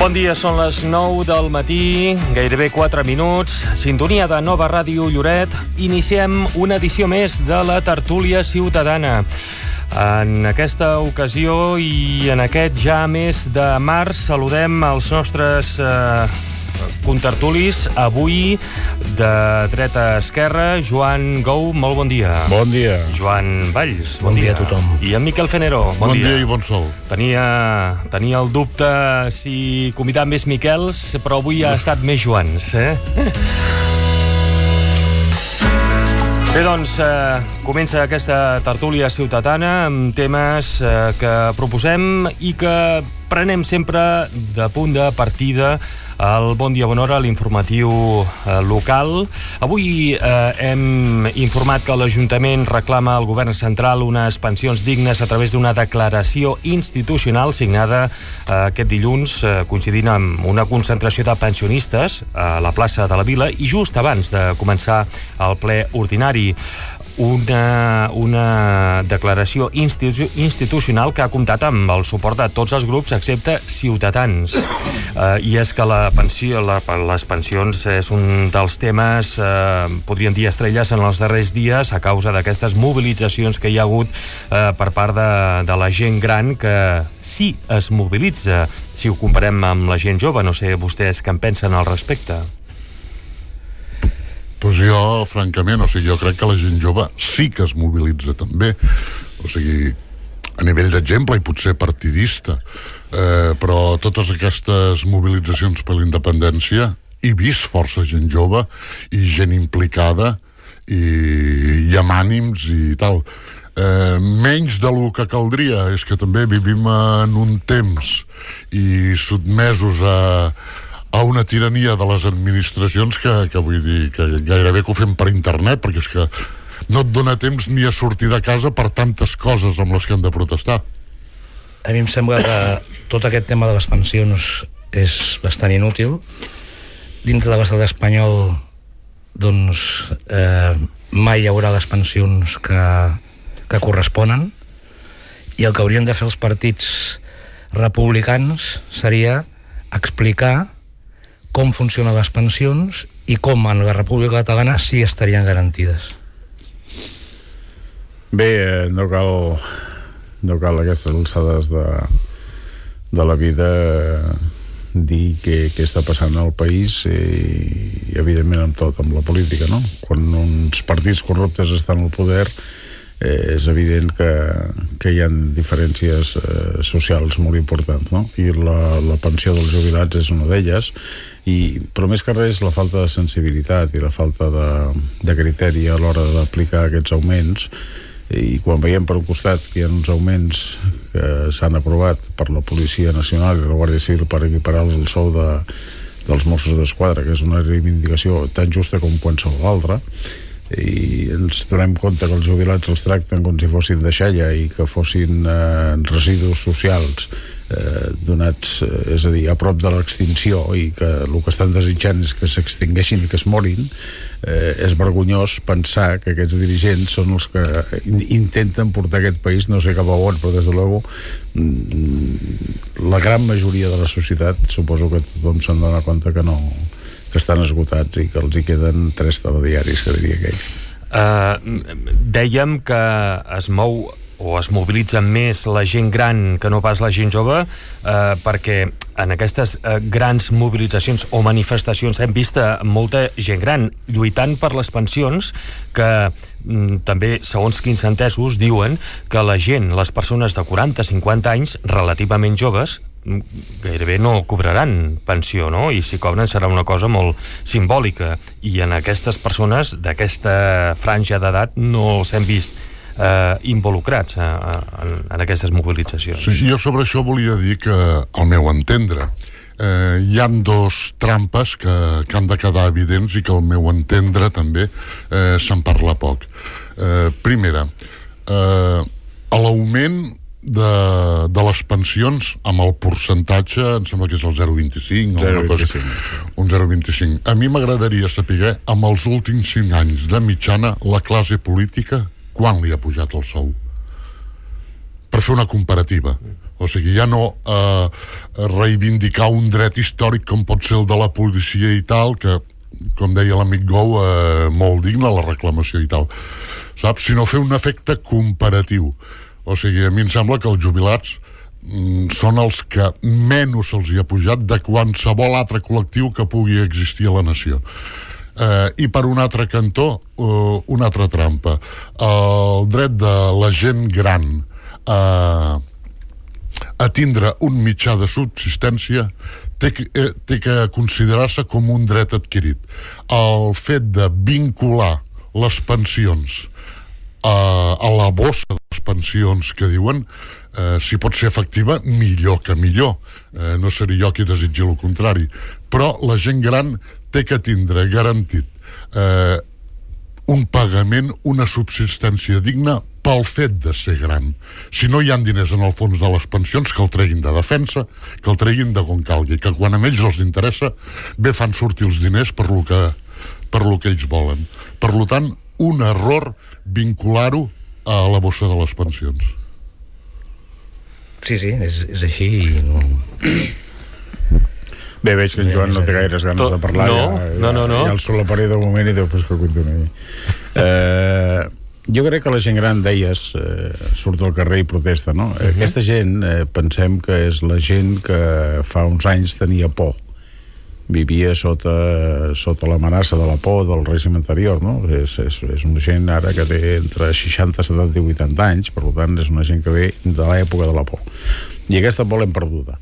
Bon dia, són les 9 del matí, gairebé 4 minuts, sintonia de Nova Ràdio Lloret. Iniciem una edició més de la tertúlia ciutadana. En aquesta ocasió i en aquest ja mes de març saludem els nostres contertulis. Avui, de dreta a esquerra, Joan Gou, molt bon dia. Bon dia. Joan Valls, bon dia a tothom. I en Miquel Fenero, bon dia i bon sol. Tenia el dubte si convidar més Miquels, però avui ha estat més Joans, Bé, doncs, comença aquesta tertúlia ciutadana amb temes que proposem i que prenem sempre de punt de partida al Bon Dia Bona Hora, l'informatiu local. Avui hem informat que l'Ajuntament reclama al Govern Central unes pensions dignes a través d'una declaració institucional signada aquest dilluns, coincidint amb una concentració de pensionistes a la plaça de la Vila i just abans de començar el ple ordinari. Una declaració institucional que ha comptat amb el suport de tots els grups excepte Ciutadans. I és que les pensions és un dels temes, podríem dir estrelles en els darrers dies, a causa d'aquestes mobilitzacions que hi ha hagut per part de la gent gran, que sí es mobilitza si ho comparem amb la gent jove. No sé vostès què en pensen al respecte. Doncs jo, francament, jo crec que la gent jove sí que es mobilitza també. O sigui, a nivell d'exemple i potser partidista, però totes aquestes mobilitzacions per la independència he vist força gent jove i gent implicada i amb ànims i tal. Menys del que caldria. És que també vivim en un temps i sotmesos a una tirania de les administracions que vull dir que gairebé que ho fem per internet, perquè és que no et dona temps ni a sortir de casa per tantes coses amb les que hem de protestar. A mi em sembla que tot aquest tema de les pensions és bastant inútil. Dintre de l'estat espanyol, doncs, mai hi haurà les pensions que corresponen, i el que haurien de fer els partits republicans seria explicar com funcionen les pensions i com en la República Catalana sí estarien garantides. Bé, no cal a aquestes alçades de la vida dir què està passant al país i evidentment amb tot, amb la política, no? Quan uns partits corruptes estan al poder, és evident que hi ha diferències socials molt importants, no? I la pensió dels jubilats és una d'elles, però més que res la falta de sensibilitat i la falta de criteri a l'hora d'aplicar aquests augments. I quan veiem per un costat que hi ha uns augments que s'han aprovat per la Policia Nacional i la Guàrdia Civil per equiparar-los al sou dels Mossos d'Esquadra, que és una reivindicació tan justa com qualsevol altra, i ens donem compte que els jubilats els tracten com si fossin deixalla i que fossin residus socials donats, és a dir, a prop de l'extinció, i que el que estan desitjant és que s'extingueixin i que es morin. És vergonyós pensar que aquests dirigents són els que intenten portar aquest país no sé cap a on, però des de luego la gran majoria de la societat, suposo que tothom se'n dona compte que no, que estan esgotats i que els hi queden 3 telediaris, que diria aquell. Dèiem que es mou o es mobilitza més la gent gran que no pas la gent jove, perquè en aquestes grans mobilitzacions o manifestacions hem vist molta gent gran lluitant per les pensions, que també, segons quins entesos, diuen que la gent, les persones de 40-50 anys, relativament joves, gairebé no cobraran pensió, no? I si cobren serà una cosa molt simbòlica, i en aquestes persones d'aquesta franja d'edat no els hem vist involucrats en aquestes mobilitzacions. Sí, jo sobre això volia dir que, al meu entendre, hi han 2 trampes que han de quedar evidents i que, al meu entendre, també se'n parla poc. Primera, l'augment de les pensions amb el percentatge, em sembla que és el 0,25 un 0,25. A mi m'agradaria saber, amb els últims 5 anys de mitjana, la classe política quan li ha pujat el sou. per fer una comparativa. O sigui, ja no reivindicar un dret històric com pot ser el de la policia i tal, que, com deia l'amic Gou, molt digne la reclamació i tal, saps? Sinó fer un efecte comparatiu. O sigui, a mi em sembla que els jubilats són els que menys se'ls hi ha pujat de qualsevol altre col·lectiu que pugui existir a la nació. I per un altre cantó, una altra trampa. El dret de la gent gran a tindre un mitjà de subsistència té que considerar-se com un dret adquirit. El fet de vincular les pensions a la bossa de les pensions que diuen, si pot ser efectiva, millor que millor. No seré jo qui desitgi el contrari. Però la gent gran té que tindre garantit un pagament, una subsistència digna pel fet de ser gran. Si no hi ha diners en el fons de les pensions, que el treguin de defensa, que el treguin de on calgui, que quan a ells els interessa, bé fan sortir els diners per lo que ells volen. Per tant, un error vincular-ho a la bossa de les pensions. Sí, és així i no... Bé, veig que en Joan no té gaires ganes de parlar. No. Ja el solaparé de moment i després que continuï. Jo crec que la gent gran, deies, surt al carrer i protesta, no? Aquesta gent, pensem que és la gent que fa uns anys tenia por. Vivia sota l'amenaça de la por del règim anterior, no? És una gent ara que té entre 60, 70 i 80 anys, per tant és una gent que ve de l'època de la por. I aquesta por l'hem perduda.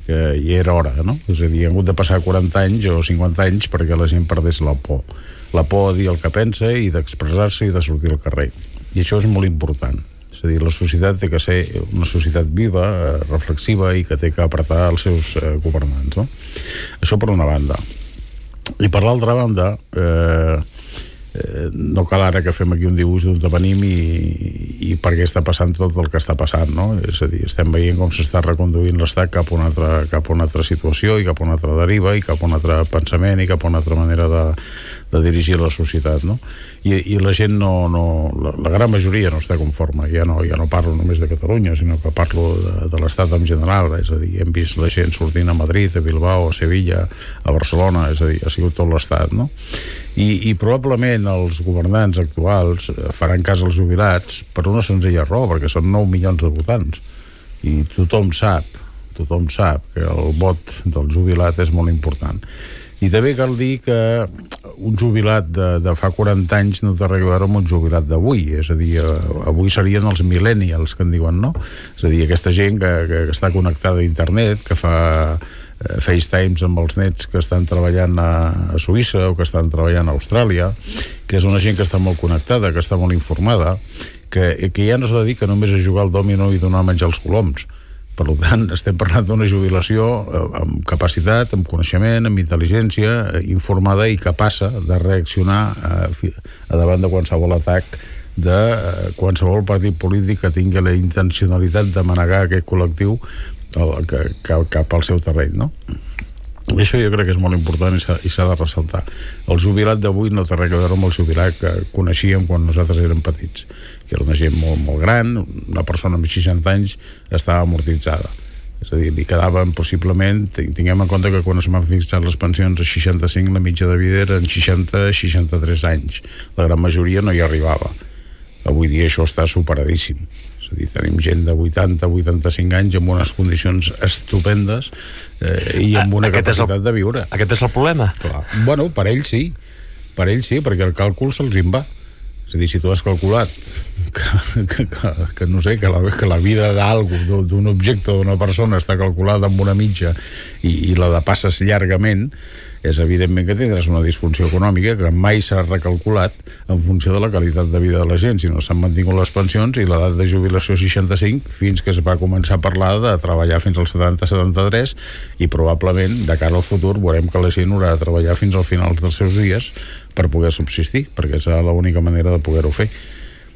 Que hi era hora, no? És a dir, ha hagut de passar 40 anys o 50 anys perquè la gent perdés la por. La por a dir el que pensa i d'expressar-se i de sortir al carrer. I això és molt important. És a dir, la societat té que ser una societat viva, reflexiva i que té que apretar els seus governants, no? Això per una banda. I per l'altra banda, no cal ara que fem aquí un dibuix d'on venim i per què està passant tot el que està passant, no? És a dir, estem veient com s'està reconduint l'Estat cap a una altra situació i cap a una altra deriva i cap a un altre pensament i cap a una altra manera de dirigir la societat, no? I la gent la gran majoria no està conforme. Ja no parlo només de Catalunya, sinó que parlo de l'Estat en general. És a dir, hem vist la gent sortint a Madrid, a Bilbao, a Sevilla, a Barcelona, és a dir, ha sigut tot l'Estat, no? I probablement els governants actuals faran cas als jubilats per una senzilla raó, perquè són 9 milions de votants i tothom sap que el vot del jubilat és molt important. I també cal dir que un jubilat de fa 40 anys no té res a veure amb un jubilat d'avui. És a dir, avui serien els millennials, que en diuen, no? És a dir, aquesta gent que està connectada a internet, que fa FaceTimes amb els nets que estan treballant a Suïssa o que estan treballant a Austràlia, que és una gent que està molt connectada, que està molt informada, que ja no es dedica només a jugar al dòmino i donar a menjar els coloms. Per tant, estem parlant d'una jubilació amb capacitat, amb coneixement, amb intel·ligència, informada i capaç de reaccionar a davant de qualsevol atac de qualsevol partit polític que tingui la intencionalitat de manegar aquest col·lectiu cap al seu terreny, no? I això jo crec que és molt important i s'ha de ressaltar. El jubilat d'avui no té res a veure amb el jubilat que coneixíem quan nosaltres érem petits, que era una gent molt, molt gran, una persona amb 60 anys estava amortitzada. És a dir, li quedaven possiblement, tinguem en compte que quan es van fixar les pensions a 65, la mitja de vida era en 60-63 anys. La gran majoria no hi arribava. Avui dia això està superadíssim. És a dir, tenim gent de 80-85 anys amb unes condicions estupendes i amb una capacitat de viure. Aquest és el problema? Clar. Bueno, per ells sí, perquè el càlcul se'ls en va. És a dir, si tu has calculat que no sé, que la vida d'algú, d'un objecte, d'una persona està calculada amb una mitja i la depasses llargament, és evidentment que tindràs una disfunció econòmica que mai s'ha recalculat en funció de la qualitat de vida de la gent, sinó s'han mantingut les pensions i l'edat de jubilació 65 fins que es va començar a parlar de treballar fins als 70-73 i probablement de cara al futur veurem que la gent haurà de treballar fins al final dels seus dies per poder subsistir, perquè és l'única manera de poder-ho fer.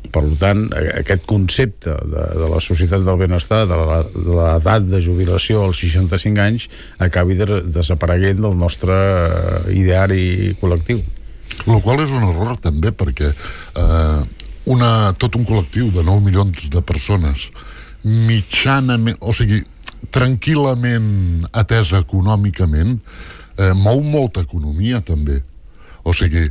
Per tant, aquest concepte de la societat del benestar, de l'edat de jubilació als 65 anys, acabi desapareguent del nostre ideari col·lectiu. El qual és un error també, perquè tot un col·lectiu de 9 milions de persones mitjanament, o sigui, tranquil·lament atesa econòmicament, mou molta economia també. O sigui,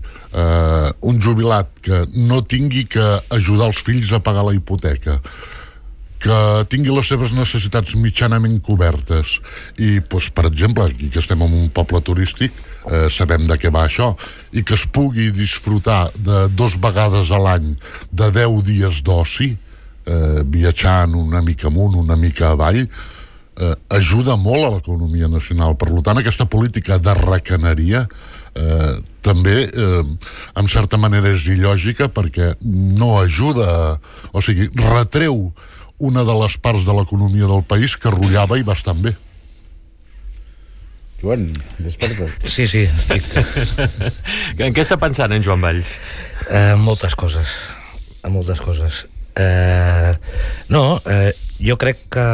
un jubilat que no tingui que ajudar els fills a pagar la hipoteca, que tingui les seves necessitats mitjanament cobertes i, doncs, per exemple, aquí que estem en un poble turístic, sabem de què va això, i que es pugui disfrutar de 2 vegades a l'any de 10 dies d'oci, viatjant una mica amunt, una mica avall, ajuda molt a l'economia nacional. Per tant, aquesta política de recaneria també, en certa manera, és il·lògica perquè no ajuda, o sigui, retreu una de les parts de l'economia del país que rullava i bastant bé. Joan, desperta't. Sí, estic... En què està pensant en Joan Valls? Moltes coses. Jo crec que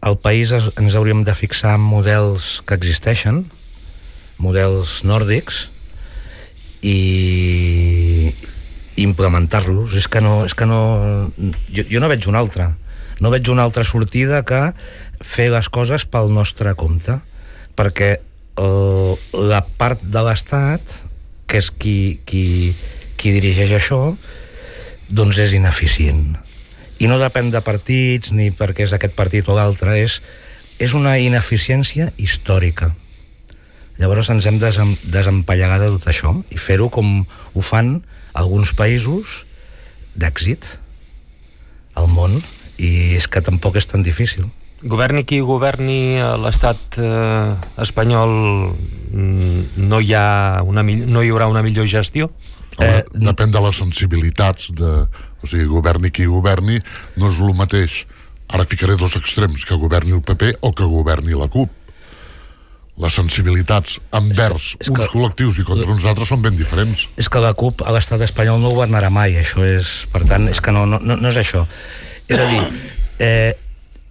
al país ens hauríem de fixar en models que existeixen, models nòrdics, i implementar-los. És que no jo no veig una altra sortida que fer les coses pel nostre compte, perquè la part de l'Estat, que és qui dirigeix això, doncs és ineficient, i no depèn de partits ni perquè és aquest partit o l'altre, és una ineficiència històrica. Llavors ens hem desempallegat de tot això i fer-ho com ho fan alguns països d'èxit al món, i és que tampoc és tan difícil. Governi qui governi a l'estat espanyol, no hi haurà una millor gestió? Depèn de les sensibilitats o sigui, governi qui governi, no és el mateix. Ara ficaré 2 extrems, que governi el PP o que governi la CUP. Les sensibilitats envers uns col·lectius i contra uns altres són ben diferents. És que la CUP a l'estat espanyol no governarà mai, això és... Per tant, és que no és això. És a dir,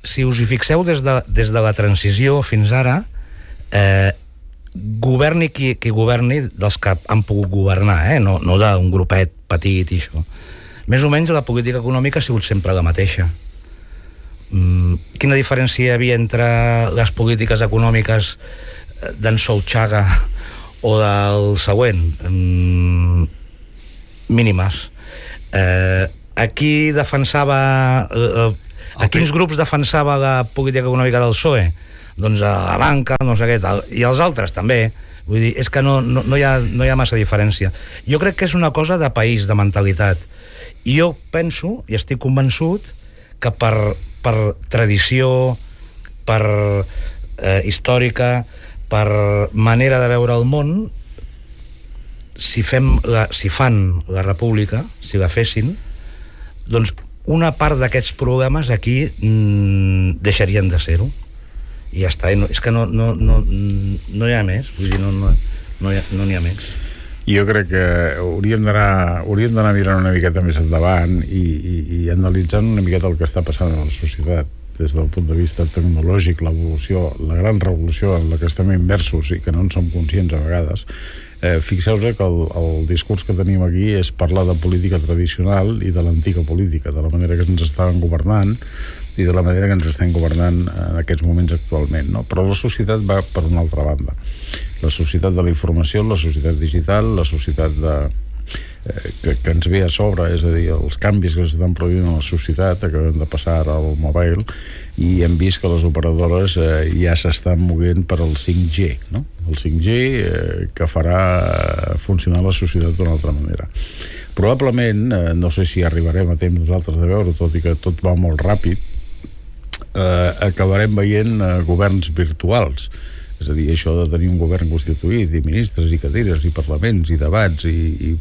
si us hi fixeu des de la transició fins ara, governi qui governi dels que han pogut governar, no d'un grupet petit i això. Més o menys la política econòmica ha sigut sempre la mateixa. Quina diferència hi havia entre les polítiques econòmiques d'en Solchaga o del següent? Mínimes. A quins grups defensava la política econòmica del PSOE? Doncs a la banca, no sé què tal, i els altres també. Vull dir, és que no hi ha massa diferència. Jo crec que és una cosa de país, de mentalitat. I jo penso, i estic convençut, que per tradició, per històrica, per manera de veure el món, si fan la república, si la fessin, doncs una part d'aquests problemes aquí deixarien de ser-ho. I ja està, és que no hi ha més, vull dir, no n'hi ha més. Jo crec que hauríem d'anar mirant una miqueta més endavant i analitzant una miqueta el que està passant a la societat des del punt de vista tecnològic, l'evolució, la gran revolució en la que estem immersos i que no en som conscients a vegades. Fixeu-vos que el discurs que tenim aquí és parlar de política tradicional i de l'antiga política, de la manera que ens estaven governant i de la manera que ens estem governant en aquests moments actualment, no? Però la societat va per una altra banda. La societat de la informació, la societat digital, la societat que ens ve a sobre, és a dir, els canvis que s'estan produint en la societat, acabem de passar ara al mobile, i hem vist que les operadores ja s'estan movent per al 5G, no? El 5G que farà funcionar la societat d'una altra manera. Probablement, no sé si arribarem a temps nosaltres de veure, tot i que tot va molt ràpid, acabarem veient governs virtuals. És a dir, això de tenir un govern constituït i ministres i cadires i parlaments i debats i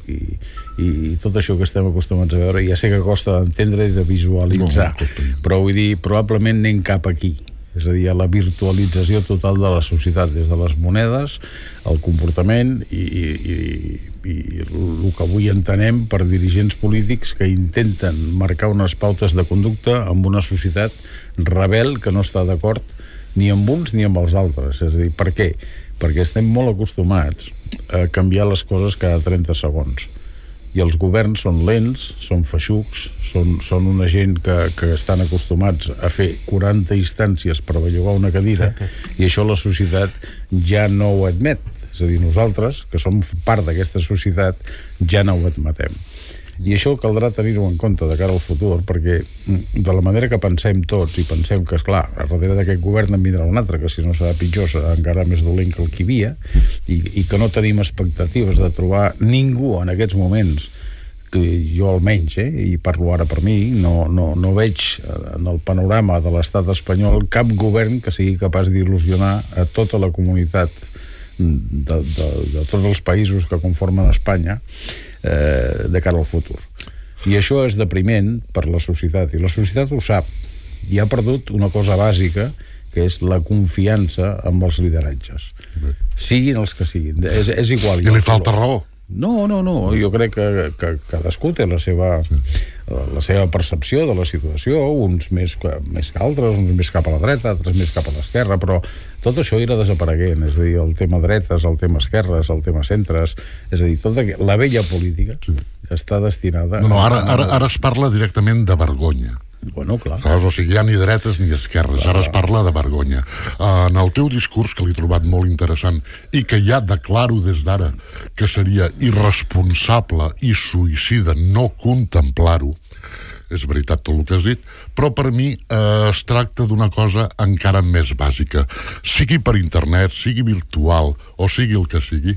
tot això que estem acostumats a veure, ja sé que costa d'entendre i de visualitzar, però vull dir, probablement anem cap aquí. És a dir, a la virtualització total de la societat, des de les monedes, el comportament i el que avui entenem per dirigents polítics que intenten marcar unes pautes de conducta amb una societat rebel que no està d'acord ni amb uns ni amb els altres. És a dir, per què? Perquè estem molt acostumats a canviar les coses cada 30 segons. i els governs són lents, són feixucs, són una gent que estan acostumats a fer 40 instàncies per bellugar una cadira, i això la societat ja no ho admet. És a dir, nosaltres, que som part d'aquesta societat, ja no ho admetem. I això caldrà tenir-ho en compte de cara al futur, perquè de la manera que pensem tots, i pensem que, esclar, a darrere d'aquest govern en vindrà un altre, que si no serà pitjor serà encara més dolent que el que hi havia, i que no tenim expectatives de trobar ningú en aquests moments, que jo almenys, i parlo ara per mi, no veig en el panorama de l'estat espanyol cap govern que sigui capaç d'il·lusionar a tota la comunitat de tots els països que conformen Espanya de cara al futur. I això és depriment per la societat, i la societat ho sap, i ha perdut una cosa bàsica, que és la confiança amb els lideratges, siguin els que siguin, és igual. I li falta raó. No, jo crec que cadascú té la seva percepció de la situació, uns més que altres, uns més cap a la dreta, altres més cap a l'esquerra, però tot això irà desapareguent, és a dir, el tema dretes, el tema esquerres, el tema centres, és a dir, tota la vella política està destinada... No, ara es parla directament de vergonya. Bueno, clar. O sigui, ja ni dretes ni esquerres, ara es parla de vergonya. En el teu discurs, que l'he trobat molt interessant, i que ja declaro des d'ara que seria irresponsable i suïcida no contemplar-ho, és veritat tot el que has dit, però per mi es tracta d'una cosa encara més bàsica. Sigui per internet, sigui virtual, o sigui el que sigui,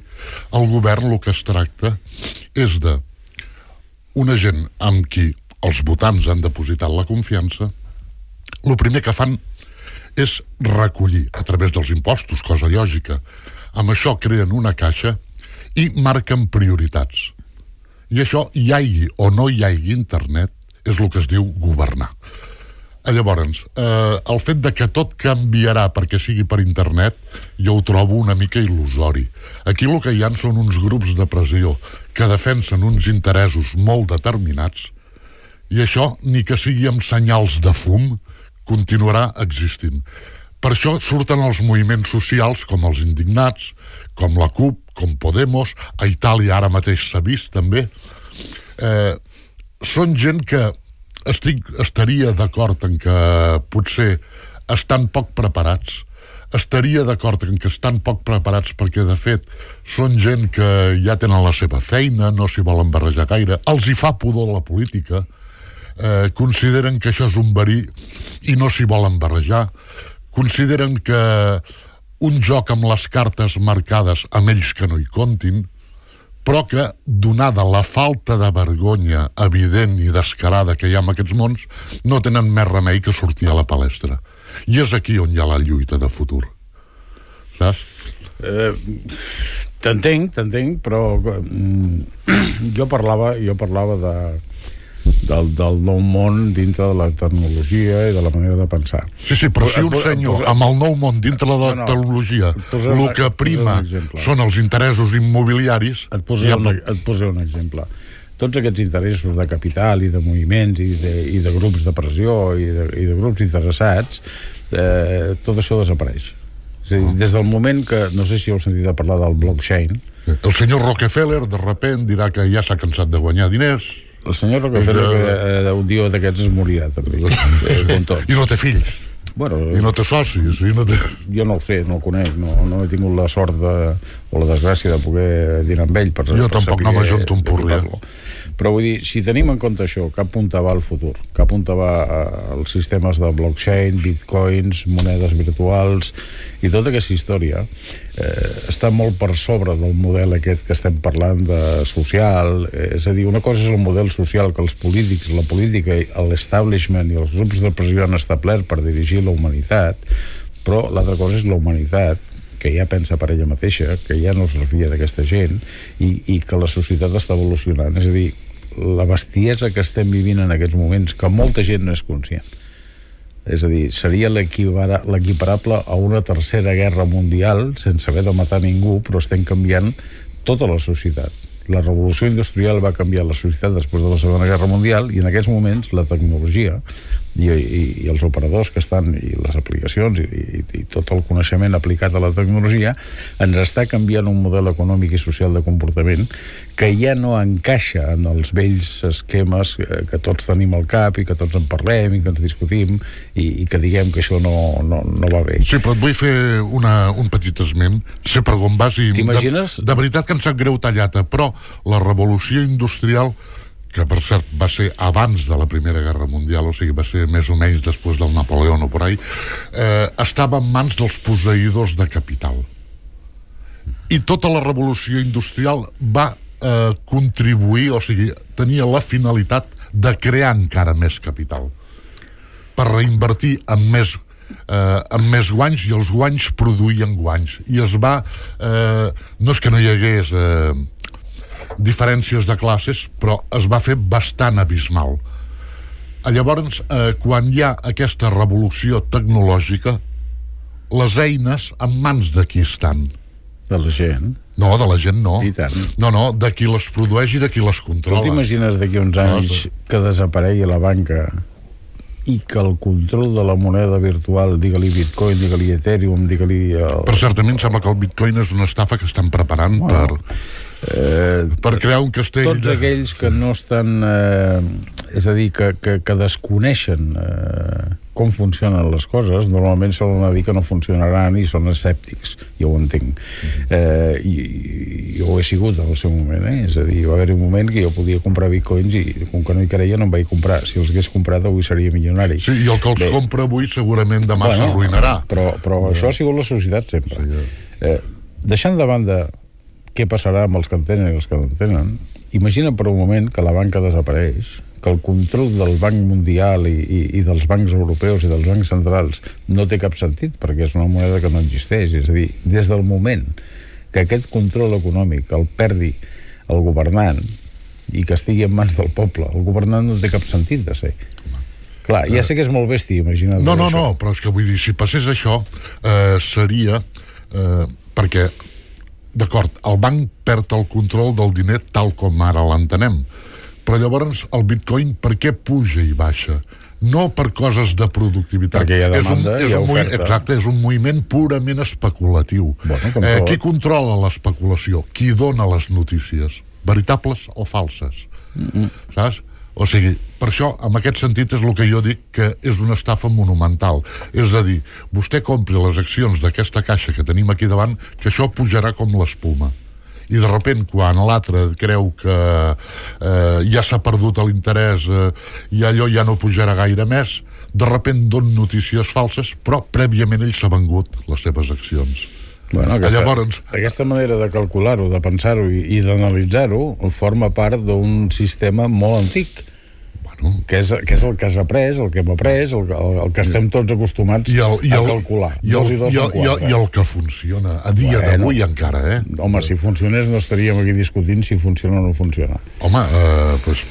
el govern el que es tracta és de una gent amb qui els votants han depositat la confiança. El primer que fan és recollir a través dels impostos, cosa lògica. Amb això creen una caixa i marquen prioritats. I això, hi hagi o no hi hagi internet, és el que es diu governar. Llavors, el fet de que tot canviarà perquè sigui per internet, jo ho trobo una mica il·lusori. Aquí el que hi ha són uns grups de pressió que defensen uns interessos molt determinats, i això, ni que sigui amb senyals de fum, continuarà existint. Per això surten els moviments socials com els indignats, com la CUP, com Podemos, a Itàlia ara mateix s'ha vist també. Són gent que estaria d'acord en que potser estan poc preparats, estaria d'acord en que estan poc preparats perquè, de fet, són gent que ja tenen la seva feina, no s'hi volen barrejar gaire, els hi fa pudor la política, consideren que això és un verí i no s'hi volen barrejar, consideren que un joc amb les cartes marcades amb ells que no hi comptin, però que, donada la falta de vergonya evident i descarada que hi ha en aquests mons, no tenen més remei que sortir a la palestra. I és aquí on hi ha la lluita de futur. Saps? T'entenc, però jo parlava del nou món dintre de la tecnologia i de la manera de pensar. Sí, però si un senyor amb el nou món dintre de la tecnologia el que prima són els interessos immobiliaris... Et posaré un exemple. Tots aquests interessos de capital i de moviments i de grups de pressió i de grups interessats, tot això desapareix. És a dir, des del moment que, no sé si heu sentit a parlar del blockchain... El senyor Rockefeller de sobte dirà que ja s'ha cansat de guanyar diners. El senyor Rockefeller un dia d'aquests es morirà també, com tots. I no té fills. Bueno, i no té socis. Jo no ho sé, no el conec, no he tingut la sort o la desgràcia de poder dinar amb ell. Jo tampoc no m'ajunto un porri. Però vull dir, si tenim en compte això, cap punta va al futur, cap punta va als sistemes de blockchain, bitcoins, monedes virtuals i tota aquesta història, està molt per sobre del model aquest que estem parlant de social. És a dir, una cosa és el model social que els polítics, la política, l'establishment i els grups de pressió han establert per dirigir la humanitat, però l'altra cosa és la humanitat, que ja pensa per ella mateixa, que ja no es refia d'aquesta gent i que la societat està evolucionant. És a dir, la bestiesa que estem vivint en aquests moments, que molta gent no és conscient. És a dir, seria l'equiparable a una tercera guerra mundial sense haver de matar ningú, però estem canviant tota la societat. La revolució industrial va canviar la societat després de la Segona Guerra Mundial i en aquests moments la tecnologia i els operadors que estan, i les aplicacions i tot el coneixement aplicat a la tecnologia, ens està canviant un model econòmic i social de comportament que ja no encaixa en els vells esquemes que tots tenim al cap i que tots en parlem i que ens discutim i que diguem que això no va bé. Sí, però et vull fer un petit esment. Sé per on vas i... T'imagines? De veritat que em sap greu tallata, però la revolució industrial, que per cert va ser abans de la Primera Guerra Mundial, o sigui, va ser més o menys després del Napoleó o por ahí, estava en mans dels posseïdors de capital. I tota la revolució industrial va contribuir, o sigui, tenia la finalitat de crear encara més capital per reinvertir amb més guanys, i els guanys produïen guanys. I es va... no és que no hi hagués... diferències de classes, però es va fer bastant abismal. Llavors, quan hi ha aquesta revolució tecnològica, les eines en mans de qui estan? De la gent. No, de la gent no. I tant. No, de qui les produeix i de qui les controla. Tu t'imagines d'aquí uns anys que desaparegui la banca i que el control de la moneda virtual, digue-li Bitcoin, digue-li Ethereum, digue-li... Per cert, a mi em sembla que el Bitcoin és una estafa que estan preparant per crear un castell... Tots aquells que no estan... és a dir, que desconeixen com funcionen les coses, normalment solen dir que no funcionaran i són escèptics. Jo ho entenc. I jo ho he sigut en el seu moment, És a dir, va haver un moment que jo podia comprar bitcoins i com que no hi creia no em vaig comprar. Si els hagués comprat avui seria milionari. Sí, i el que els compra avui segurament demà s'arruïnarà. Però això ha sigut la societat sempre. Sí. Deixant de banda què passarà amb els que en tenen i els que no en tenen, imagina per un moment que la banca desapareix, que el control del Banc Mundial i dels bancs europeus i dels bancs centrals no té cap sentit, perquè és una moneda que no existeix. És a dir, des del moment que aquest control econòmic el perdi el governant i que estigui en mans del poble, el governant no té cap sentit de ser. Clar, ja sé que és molt bèstia, imagina't. No, però és que vull dir, si passés això, seria... perquè, d'acord, el banc perd el control del diner tal com ara l'entenem, però llavors el bitcoin per què puja i baixa? No per coses de productivitat. Perquè hi ha demanda, hi ha oferta. Exacte, és un moviment purament especulatiu. Qui controla l'especulació? Qui dona les notícies? Veritables o falses? Saps? O sigui, per això, en aquest sentit, és el que jo dic que és una estafa monumental. És a dir, vostè compri les accions d'aquesta caixa que tenim aquí davant, que això pujarà com l'espuma. I de sobte, quan l'altre creu que ja s'ha perdut l'interès i allò ja no pujarà gaire més, de sobte donen notícies falses, però prèviament ell s'ha vengut les seves accions. Bueno, aquesta manera de calcular-ho, de pensar-ho i d'analitzar-ho forma part d'un sistema molt antic, que és el que has après, el que hem après, el que estem tots acostumats a calcular. I el que funciona a dia d'avui encara, Home, si funcionés no estaríem aquí discutint si funciona o no funciona. Home, doncs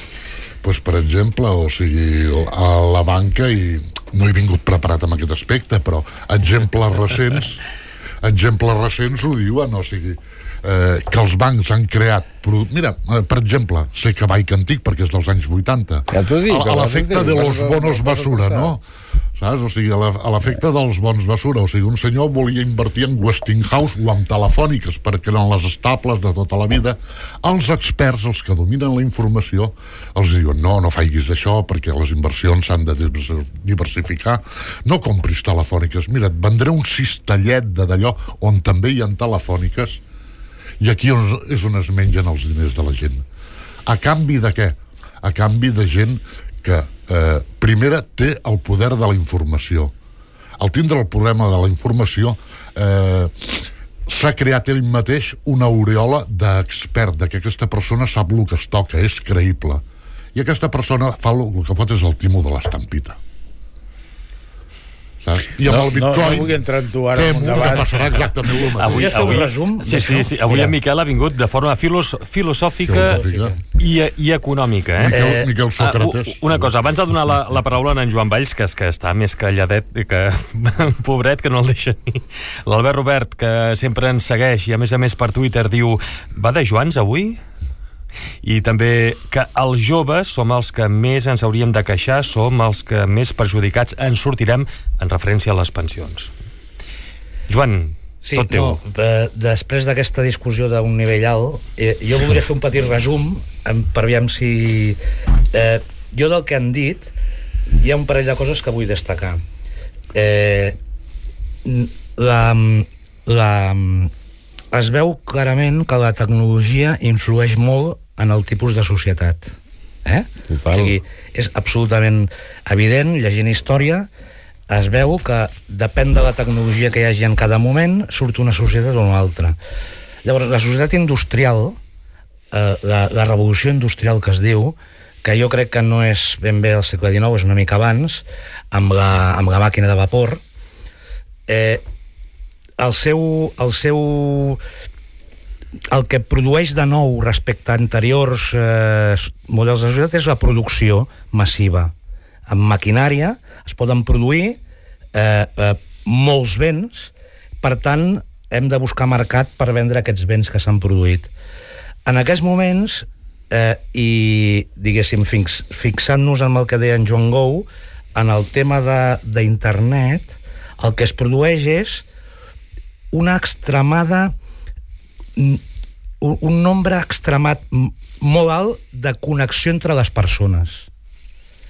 per exemple, o sigui, a la banca, i no he vingut preparat amb aquest aspecte, però exemples recents ho diuen, o sigui, que els bancs han creat... Mira, per exemple, sé que Bike Antic, perquè és dels anys 80, a l'efecte de los bonos basura, no? Saps? O sigui, a l'efecte dels bons basura. O sigui, un senyor volia invertir en Westinghouse o en telefòniques, perquè eren les estables de tota la vida. Els experts, els que dominen la informació, els diuen, no faiguis això, perquè les inversions s'han de diversificar. No compris telefòniques. Mira, et vendré un cistellet d'allò on també hi ha telefòniques, i aquí és on es mengen els diners de la gent. A canvi de què? A canvi de gent que primera té el poder de la informació. Al tindre el problema de la informació s'ha creat ell mateix una aureola d'expert, de que aquesta persona sap el que es toca, és creïble. I aquesta persona fa el que fot és el timo de l'estampita. I amb el Bitcoin no vull entrar en tu ara en un debat. Que passarà exactament el mateix. Avui resum? Sí. Avui en Miquel ha vingut de forma filosòfica i econòmica. Miquel Sòcrates. Una cosa, abans de donar la paraula a en Joan Valls, que està més calladet, que pobret, que no el deixa ni. L'Albert Robert, que sempre ens segueix i a més per Twitter diu, va de Joans avui? I també que els joves som els que més ens hauríem de queixar, som els que més perjudicats en sortirem en referència a les pensions. Joan, sí, tot teu. Després d'aquesta discussió d'un nivell alt, jo voldria fer un petit resum per aviam si... jo del que han dit hi ha un parell de coses que vull destacar. Es veu clarament que la tecnologia influeix molt en el tipus de societat. O sigui, és absolutament evident, llegint història, es veu que depèn de la tecnologia que hi hagi en cada moment, surt una societat o una altra. Llavors, la societat industrial, la revolució industrial que es diu, que jo crec que no és ben bé al segle XIX, és una mica abans, amb la màquina de vapor, el que produeix de nou respecte a anteriors models de societat és la producció massiva. Amb maquinària es poden produir molts béns, per tant hem de buscar mercat per vendre aquests béns que s'han produït. En aquests moments, i diguéssim fixant-nos en el que deia en Joan Gou, en el tema d'internet, el que es produeix és una extremada, un nombre extremat molt alt de connexió entre les persones.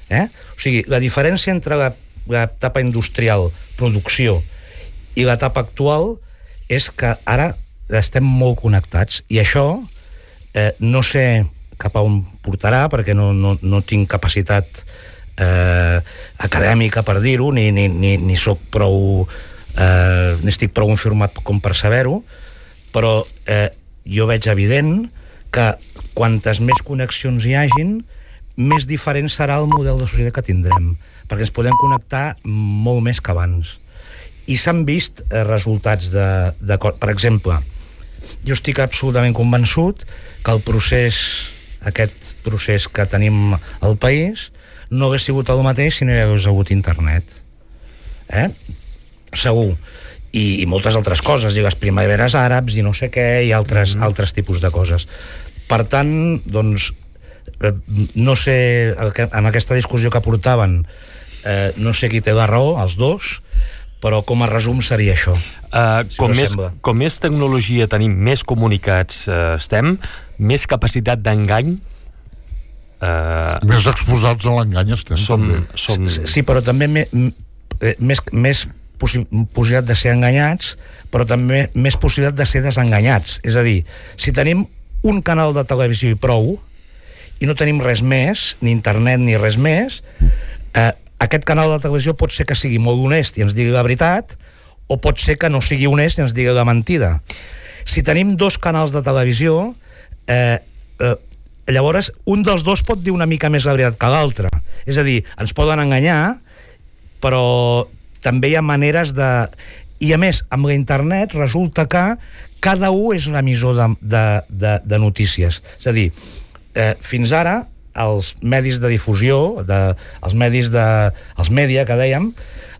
O sigui, la diferència entre l'etapa industrial, producció, i l'etapa actual és que ara estem molt connectats, i això no sé cap a on portarà, perquè no tinc capacitat acadèmica per dir-ho, ni soc prou ni estic prou informat com per saber-ho, però jo veig evident que quantes més connexions hi hagin, més diferent serà el model de societat que tindrem, perquè ens podem connectar molt més que abans. I s'han vist resultats de... Per exemple, jo estic absolutament convençut que aquest procés que tenim al país no hagués sigut el mateix si no hi hagués hagut internet. Segur. I moltes altres coses, i les primaveres àrabs, i no sé què, i altres tipus de coses. Per tant, doncs, no sé, en aquesta discussió que portaven, no sé qui té la raó, els dos, però com a resum seria això. Com més tecnologia tenim, més comunicats estem, més capacitat d'engany, més exposats a l'engany estem. Sí, però també més possibilitat de ser enganyats, però també més possibilitat de ser desenganyats. És a dir, si tenim un canal de televisió i prou, i no tenim res més, ni internet ni res més, aquest canal de televisió pot ser que sigui molt honest i ens digui la veritat, o pot ser que no sigui honest i ens digui la mentida. Si tenim dos canals de televisió, llavors un dels dos pot dir una mica més la veritat que l'altre. És a dir, ens poden enganyar, però també hi ha maneres de... I a més, amb la internet resulta que cada un és un emissor de notícies. És a dir, fins ara els medis de difusió, els mèdia que dèiem,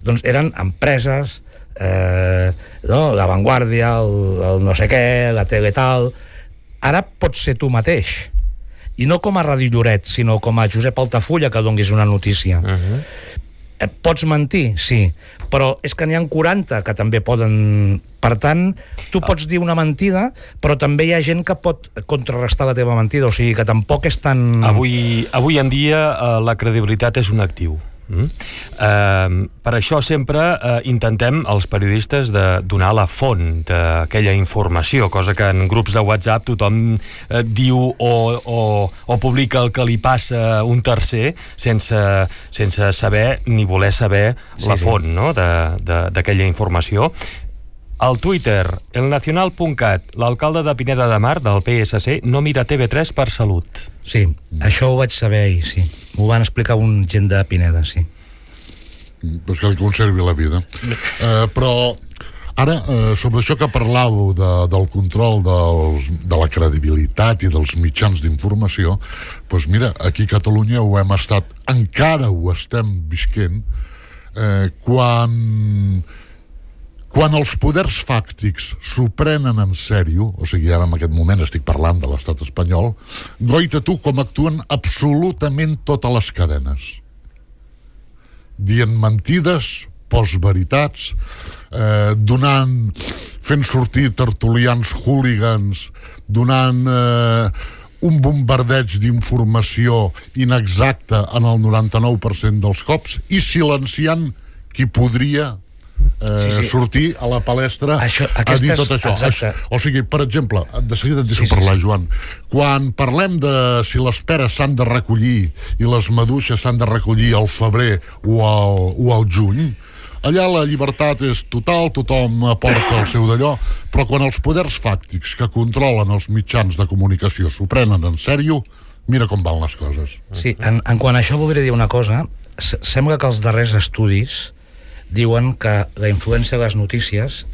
doncs eren empreses, la Vanguardia, el no sé què, la tele tal. Ara pots ser tu mateix. I no com a Ràdio Lloret, sinó com a Josep Altafulla, que donguis una notícia. Pots mentir, sí, però és que n'hi ha 40 que també poden... Per tant, tu pots dir una mentida, però també hi ha gent que pot contrarrestar la teva mentida, o sigui que tampoc és tan... Avui en dia la credibilitat és un actiu. Per això sempre intentem, els periodistes, de donar la font d'aquella informació, cosa que en grups de WhatsApp tothom diu o publica el que li passa un tercer sense saber ni voler saber la font, no? d'aquella informació. Al Twitter, elnacional.cat, l'alcalde de Pineda de Mar, del PSC, no mira TV3 per salut. Sí, això ho vaig saber ahir, sí. M'ho van explicar un gent de Pineda, sí. Pues que li conservi la vida. Però ara, sobre això que parlàveu del control de la credibilitat i dels mitjans d'informació, doncs mira, aquí a Catalunya ho hem estat, encara ho estem visquent, quan quan els poders fàctics s'ho prenen en sèrio, o sigui, ara en aquest moment estic parlant de l'estat espanyol, goita tu com actuen absolutament totes les cadenes. Dient mentides, postveritats, fent sortir tertulians hooligans, donant un bombardeig d'informació inexacta en el 99% dels cops i silenciant qui podria sortir a la palestra a dir tot això. O sigui, per exemple, de seguida et deixo parlar, Joan. Quan parlem de si les peres s'han de recollir i les maduixes s'han de recollir al febrer o al juny, allà la llibertat és total, tothom aporta el seu d'allò, però quan els poders fàctics que controlen els mitjans de comunicació s'ho prenen en sèrio, mira com van les coses. Sí, en quant a això voldria dir una cosa. Sembla que els darrers estudis diuen que la influència de les notícies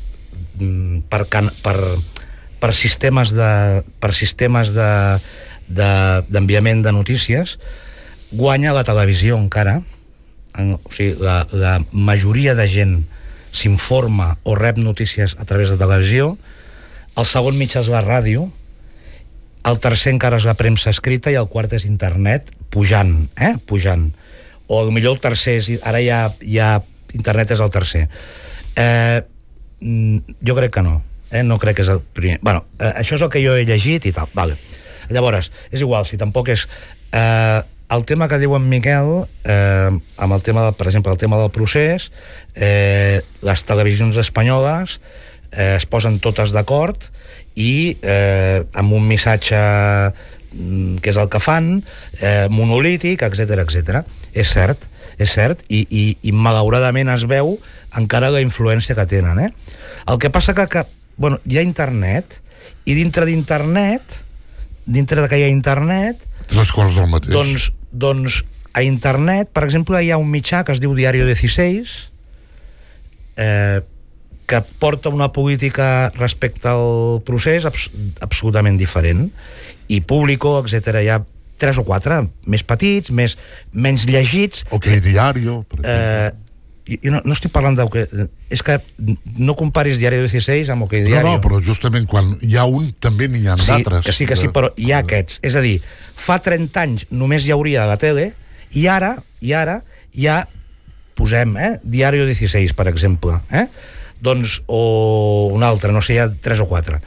per sistemes d'enviament de notícies guanya la televisió encara. O sigui, la majoria de gent s'informa o rep notícies a través de televisió. El segon mitjà és la ràdio, el tercer encara és la premsa escrita i el quart és internet, pujant. O potser el tercer és, ara ja internet és el tercer. Jo crec que no. No crec que és el primer. Bueno, això és el que jo he llegit i tal. Vale. Llavors, és igual, si tampoc és... el tema que diu en Miquel, amb el tema, per exemple, el tema del procés, les televisions espanyoles es posen totes d'acord i amb un missatge que és el que fan, monolític, etc. És cert, i malauradament es veu encara la influència que tenen. El que passa que bueno, hi ha internet, i dintre d'internet, dintre que hi ha internet, tres coses del mateix. Doncs a internet, per exemple, hi ha un mitjà que es diu Diario 16, que porta una política respecte al procés absolutament diferent, i Público, etc. Hi ha 3 o 4, més petits, menys llegits. OK Diario, per exemple. Jo no estic parlant és que no comparis Diario 16 amb OK Diario. No, però justament quan hi ha un també n'hi ha d'altres. Que sí, però hi ha aquests. És a dir, fa 30 anys només hi hauria a la tele i ara ja posem Diario 16, per exemple. Doncs, o un altre, no sé, hi ha 3 o 4.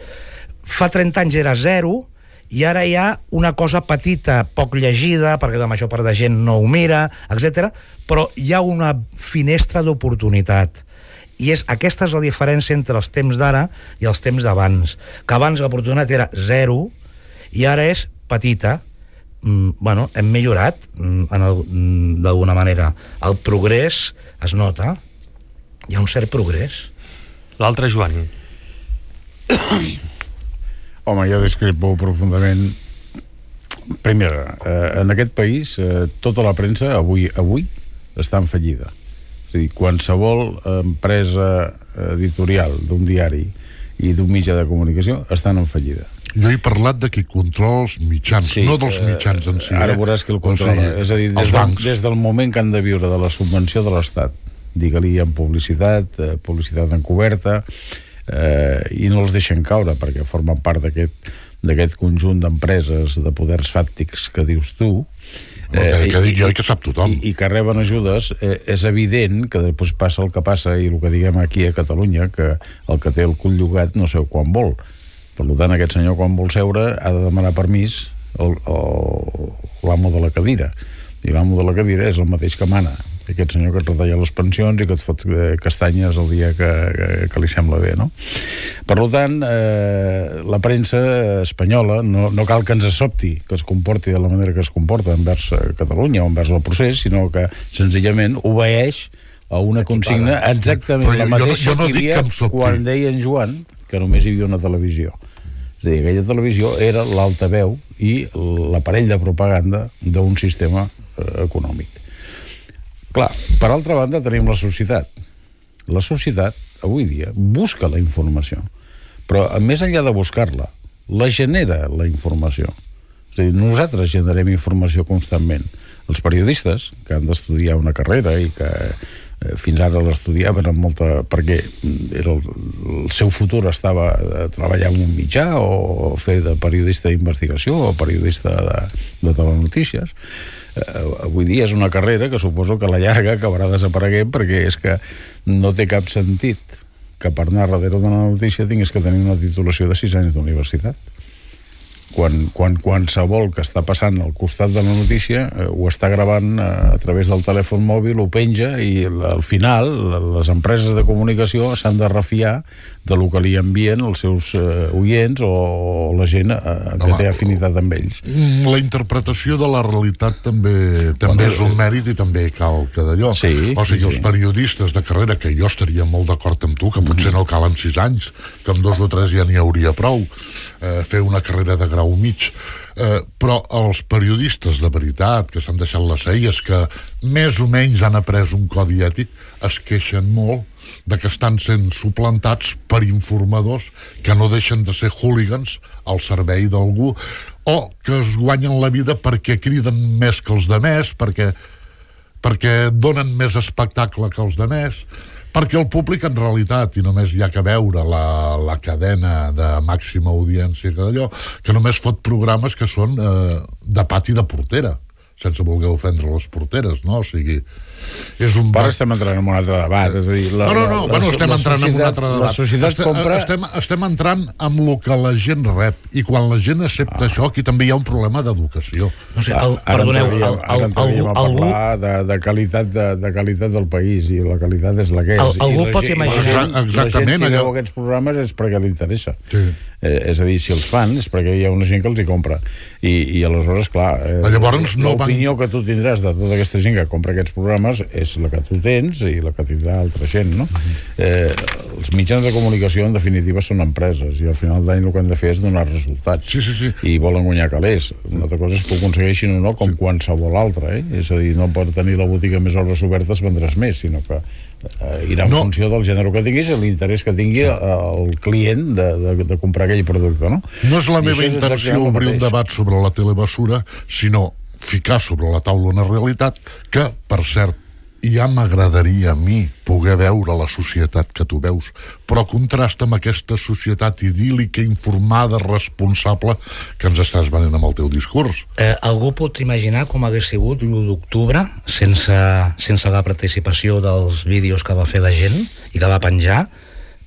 Fa 30 anys era 0 i ara hi ha una cosa petita, poc llegida, perquè la major part de gent no ho mira, etc. Però hi ha una finestra d'oportunitat. I aquesta és la diferència entre els temps d'ara i els temps d'abans. Que abans l'oportunitat era 0 i ara és petita. Bueno, hem millorat d'alguna manera. El progrés es nota. Hi ha un cert progrés. L'altre, Joan. Home, jo discrepo profundament. Primera, en aquest país tota la premsa avui està en fallida. És a dir, qualsevol empresa editorial d'un diari i d'un mitjà de comunicació estan en fallida. Jo he parlat de qui controla els mitjans, sí, no dels mitjans en si. Ara veuràs que el controla. És a dir, des del moment que han de viure de la subvenció de l'Estat, digue-li en publicitat encoberta, i no els deixen caure perquè formen part d'aquest conjunt d'empreses, de poders fàctics que dius tu, que dic jo i que sap tothom, i que reben ajudes. És evident que després passa el que passa, i el que diguem aquí a Catalunya, que el que té el cul llogat no sé quan vol. Per tant, aquest senyor quan vol seure ha de demanar permís l'amo de la cadira, i l'amo de la cadira és el mateix que mana, aquest senyor que et retalla les pensions i que et fot castanyes el dia que li sembla bé, no? Per tant, la premsa espanyola no cal que ens sobti que es comporti de la manera que es comporta envers Catalunya o envers el procés, sinó que senzillament obeeix a una consigna exactament la mateixa que hi havia quan deia en Joan que només hi havia una televisió. És a dir, aquella televisió era l'altaveu i l'aparell de propaganda d'un sistema econòmic. Clar, per altra banda tenim la societat. La societat, avui dia, busca la informació, però més enllà de buscar-la, la genera la informació. És a dir, nosaltres generem informació constantment. Els periodistes, que han d'estudiar una carrera i que fins ara l'estudiaven amb molta... perquè era el seu futur estava a treballar en un mitjà o fer de periodista d'investigació o periodista de telenotícies. Avui dia és una carrera que suposo que a la llarga acabarà desapareguent, perquè és que no té cap sentit que per anar darrere d'una notícia tinguis que tenir una titulació de 6 anys d'universitat. Quan qualsevol que està passant al costat de la notícia ho està gravant a través del telèfon mòbil, ho penja, i al final les empreses de comunicació s'han de refiar de lo que li envien els seus oients o la gent que té afinitat amb ells. La interpretació de la realitat també és un mèrit i també cal que d'allò. Sí, o sigui, els periodistes de carrera, que jo estaria molt d'acord amb tu, que potser no calen 6 anys, que amb 2 o 3 ja n'hi hauria prou, fer una carrera de grau mig, però els periodistes de veritat que s'han deixat les celles, que més o menys han après un codi ètic, es queixen molt de que estan sent suplantats per informadors que no deixen de ser hooligans al servei d'algú, o que es guanyen la vida perquè criden més que els demés, perquè donen més espectacle que els demés, perquè el públic en realitat, i només hi ha que veure la cadena de màxima audiència que només fot programes que són de pati de portera, sense voler ofendre les porteres, no? O sigui, és un... Però estem entrant en un altre debat, és a dir... estem entrant en un altre debat. La societat compra... Estem entrant amb el que la gent rep, i quan la gent accepta això, aquí també hi ha un problema d'educació. No sé, perdoneu, algú... de qualitat del país, i la qualitat és la que és. Algú pot imaginar... La gent, si veu aquests programes, és perquè li interessa. Sí. És a dir, si els fan, és perquè hi ha una gent que els hi compra. I aleshores, clar, l'opinió que tu tindràs de tota aquesta gent que compra aquests programes és la que tu tens i la que tindrà altra gent, no? Els mitjans de comunicació, en definitiva, són empreses, i al final d'any el que han de fer és donar resultats. Sí. I volen guanyar calés. Una altra cosa és que ho aconsegueixin o no, com qualsevol altra, És a dir, no per tenir la botiga més hores obertes vendràs més, sinó que irà en funció del gènere que tinguis i l'interès que tingui el client de comprar aquell producte, no? No és la meva intenció obrir un debat sobre la telebasura, sinó ficar sobre la taula una realitat que, per cert, ja m'agradaria a mi poder veure la societat que tu veus, però contrasta amb aquesta societat idíl·lica, informada, responsable que ens estàs venent amb el teu discurs. Algú pot imaginar com hagués sigut l'1 d'octubre sense la participació dels vídeos que va fer la gent i que va penjar?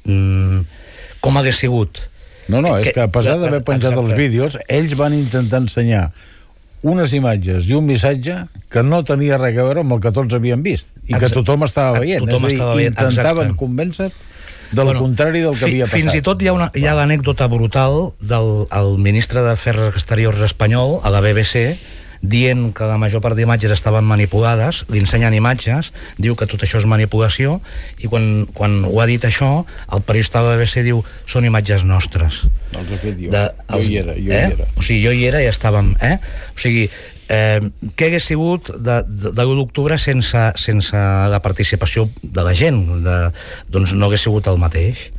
Com hagués sigut? No, és que a pesar d'haver penjat els vídeos, ells van intentar ensenyar unes imatges i un missatge que no tenia res a veure amb el que tots havien vist i que tothom estava veient. Intentaven convèncer del contrari del que havia passat. Fins i tot hi ha l'anècdota brutal del ministre d'Afers Exteriors espanyol a la BBC dient que la major part d'imatges estaven manipulades, li ensenyen imatges, diu que tot això és manipulació, i quan ho ha dit això, el periodista de la BBC diu són imatges nostres. Els he fet jo. Jo hi era. O sigui, jo hi era i estàvem... O sigui, què hagués sigut de l'1 d'octubre sense la participació de la gent? Doncs no hagués sigut el mateix.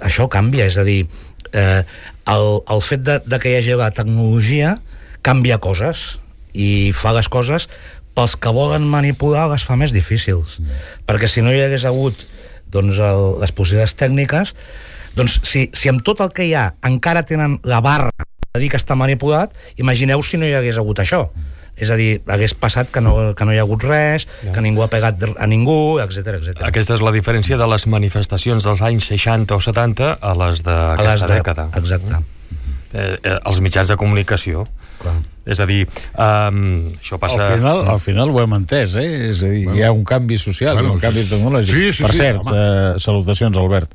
Això canvia, és a dir, el fet de que hi hagi la tecnologia canvia coses i fa les coses pels que volen manipular, les fa més difícils, perquè si no hi hagués hagut les possibilitats tècniques, doncs si amb tot el que hi ha encara tenen la barra de dir que està manipulat, imagineu si no hi hagués hagut això. És a dir, hagués passat que no hi ha hagut res, que ningú ha pegat a ningú, etc. Aquesta és la diferència de les manifestacions dels anys 60 o 70 a les d'aquesta dècada. Exacte. Els mitjans de comunicació. Clar. És a dir, això passa... Al final ho hem entès, És a dir, hi ha un canvi social, un canvi tecnològic. Per cert, salutacions, Albert.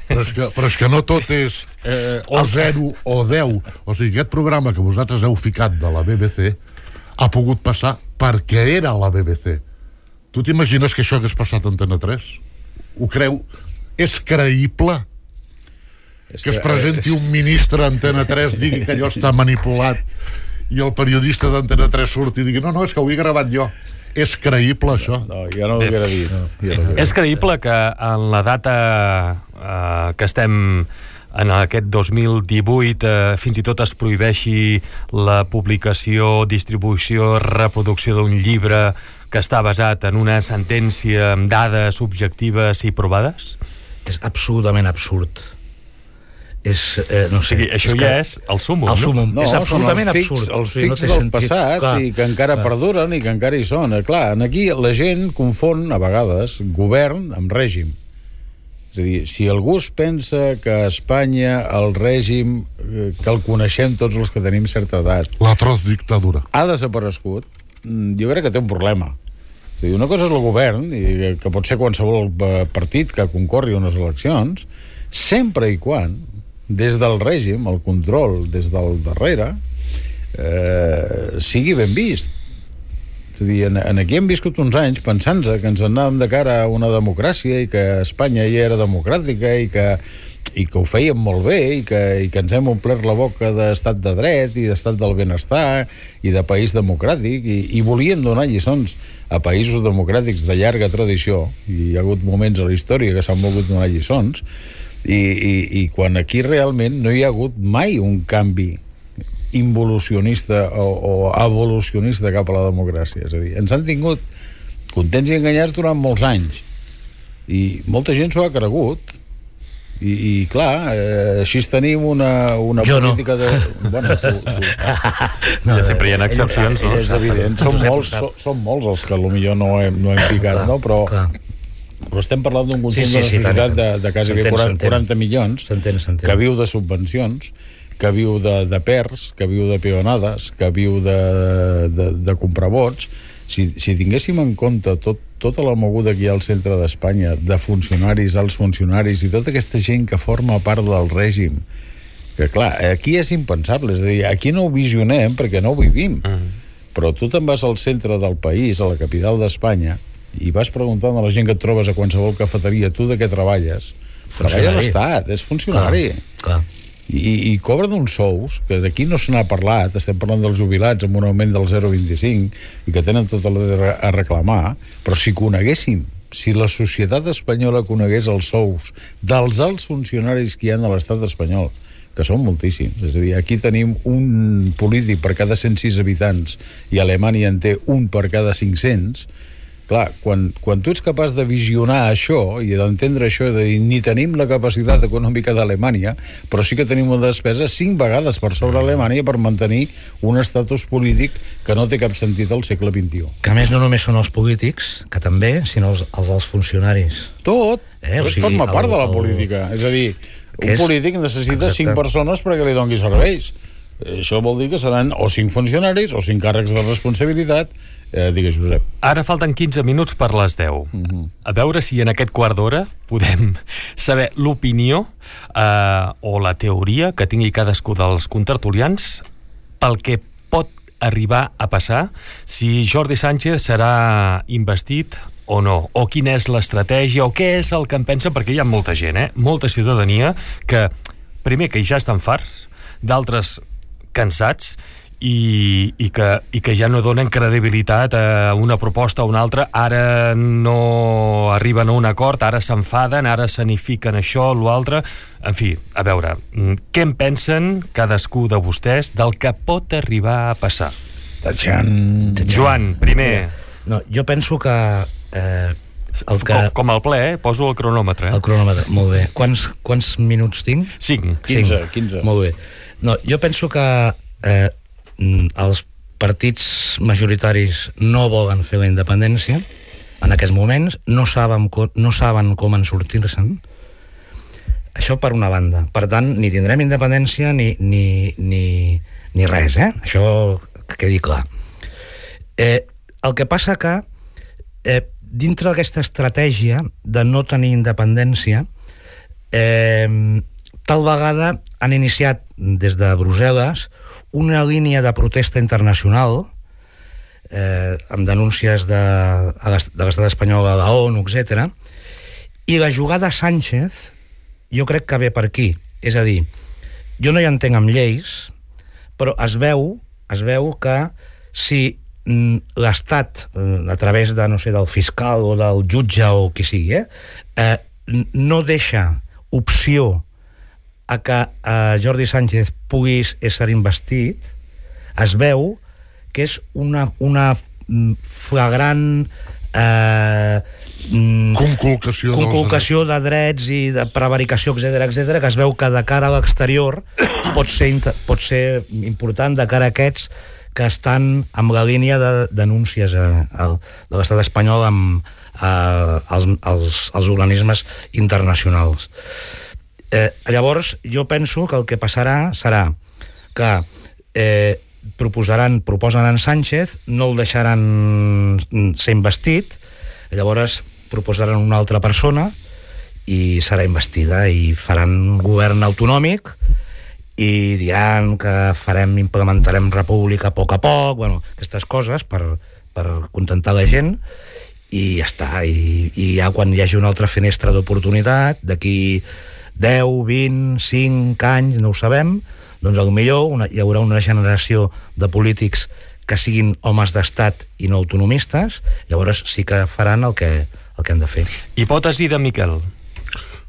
Però és que no tot és o 0 o 10. O sigui, aquest programa que vosaltres heu ficat de la BBC ha pogut passar perquè era la BBC. Tu t'imagines que això hagués passat a Antena 3? Ho creu? És creïble que es presenti un ministre a Antena 3, digui que allò està manipulat, i el periodista d'Antena 3 surti i digui no, és que ho he gravat jo? És creïble, això? No, jo no ho hauria dit. És creïble que en la data que estem en aquest 2018 fins i tot es prohibeixi la publicació, distribució, reproducció d'un llibre que està basat en una sentència amb dades objectives i provades? És absolutament absurd. No sé, això és el súmmum, no? És absolutament absurd. Els tics del passat i que encara perduren i que encara hi són. Clar, aquí la gent confon a vegades govern amb règim. És a dir, si algú es pensa que a Espanya el règim, que el coneixem tots els que tenim certa edat, l'atroç dictadura, ha desaparegut, jo crec que té un problema. És a dir, una cosa és el govern, i que pot ser qualsevol partit que concorri a unes eleccions, sempre i quan des del règim, el control des del darrere, sigui ben vist. És a dir, aquí hem viscut uns anys pensant-se que ens anàvem de cara a una democràcia i que Espanya ja era democràtica i que ho fèiem molt bé i que ens hem omplert la boca d'estat de dret i d'estat del benestar i de país democràtic i volíem donar lliçons a països democràtics de llarga tradició, i hi ha hagut moments a la història que s'han volgut donar lliçons, i quan aquí realment no hi ha hagut mai un canvi involucionista o evolucionista cap a la democràcia. És a dir, ens han tingut contents i enganyats durant molts anys i molta gent s'ho ha cregut i clar, així tenim una política de... Bueno, ja sempre hi ha excepcions, no? És evident, són molts els que potser no hem picat, no? Però estem parlant d'un conjunt de la societat de quasi 40 milions que viu de subvencions, que viu de PERS, que viu de peonades, que viu de comprar vots. Si tinguéssim en compte tota la moguda que hi ha al centre d'Espanya, de funcionaris, alts funcionaris i tota aquesta gent que forma part del règim, que clar, aquí és impensable, és a dir, aquí no ho visionem perquè no ho vivim, però tu te'n vas al centre del país, a la capital d'Espanya, i vas preguntant a la gent que et trobes a qualsevol cafeteria, tu de què treballes? Treballa a l'Estat, és funcionari. Clar. I cobren uns sous que aquí no se n'ha parlat, estem parlant dels jubilats amb un augment del 0,25 i que tenen tot el dret a reclamar, però si coneguéssim, si la societat espanyola conegués els sous dels alts funcionaris que hi ha a l'estat espanyol, que són moltíssims, és a dir, aquí tenim un polític per cada 106 habitants i Alemanya en té un per cada 500. Clar, quan tu ets capaç de visionar això i d'entendre això, de dir, ni tenim la capacitat econòmica d'Alemanya, però sí que tenim una despesa 5 vegades per sobre Alemanya per mantenir un estatus polític que no té cap sentit al segle XXI. Que a més no només són els polítics, que també, sinó els funcionaris. Tot forma part de la política. És a dir, un polític necessita 5 persones perquè li doni serveis. Això vol dir que seran o 5 funcionaris o 5 càrrecs de responsabilitat. Digues, Josep. Ara falten 15 minuts per les 10. A veure si en aquest quart d'hora podem saber l'opinió o la teoria que tingui cadascú dels contertulians pel que pot arribar a passar si Jordi Sánchez serà investit o no, o quina és l'estratègia, o què és el que en pensa, perquè hi ha molta gent, molta ciutadania que, primer, que ja estan farts, d'altres cansats, i que ja no donen credibilitat a una proposta o una altra, ara no arriben a un acord, ara s'enfaden, ara s'anifiquen això, l'altre. En fi, a veure, què en pensen cadascú de vostès del que pot arribar a passar? Joan, primer. No, jo penso que... Com al ple, poso el cronòmetre. El cronòmetre, molt bé. Quants minuts tinc? 5. 15. Molt bé. No, jo penso que els partits majoritaris no volen fer la independència en aquests moments, no saben com en sortir-se'n. Això per una banda. Per tant, ni tindrem independència ni res, això que quedi clar. El que passa que dintre d'aquesta estratègia de no tenir independència, tal vegada han iniciat des de Brussel·les una línia de protesta internacional amb denúncies de l'estat espanyol a la ONU, etc. I la jugada Sánchez jo crec que ve per aquí. És a dir, jo no hi entenc amb lleis, però es veu que si l'Estat, a través de, no sé, del fiscal o del jutge o qui sigui, no deixa opció a que Jordi Sánchez pugui ser investit, es veu que és una flagrant conculcació de drets i de prevaricació, etc, que es veu que de cara a l'exterior pot ser important de cara a aquests que estan amb la línia de denúncies de l'estat espanyol als organismes internacionals. Llavors, jo penso que el que passarà serà que proposen en Sánchez, no el deixaran ser investit, llavors proposaran una altra persona i serà investida i faran govern autonòmic i diran que implementarem república a poc, bueno, aquestes coses per contentar la gent i ja està. I ja quan hi hagi una altra finestra d'oportunitat, d'aquí 10, 20, 5 anys, no ho sabem, doncs potser hi haurà una generació de polítics que siguin homes d'estat i no autonomistes, llavors sí que faran el que han de fer. Hipòtesi de Miquel.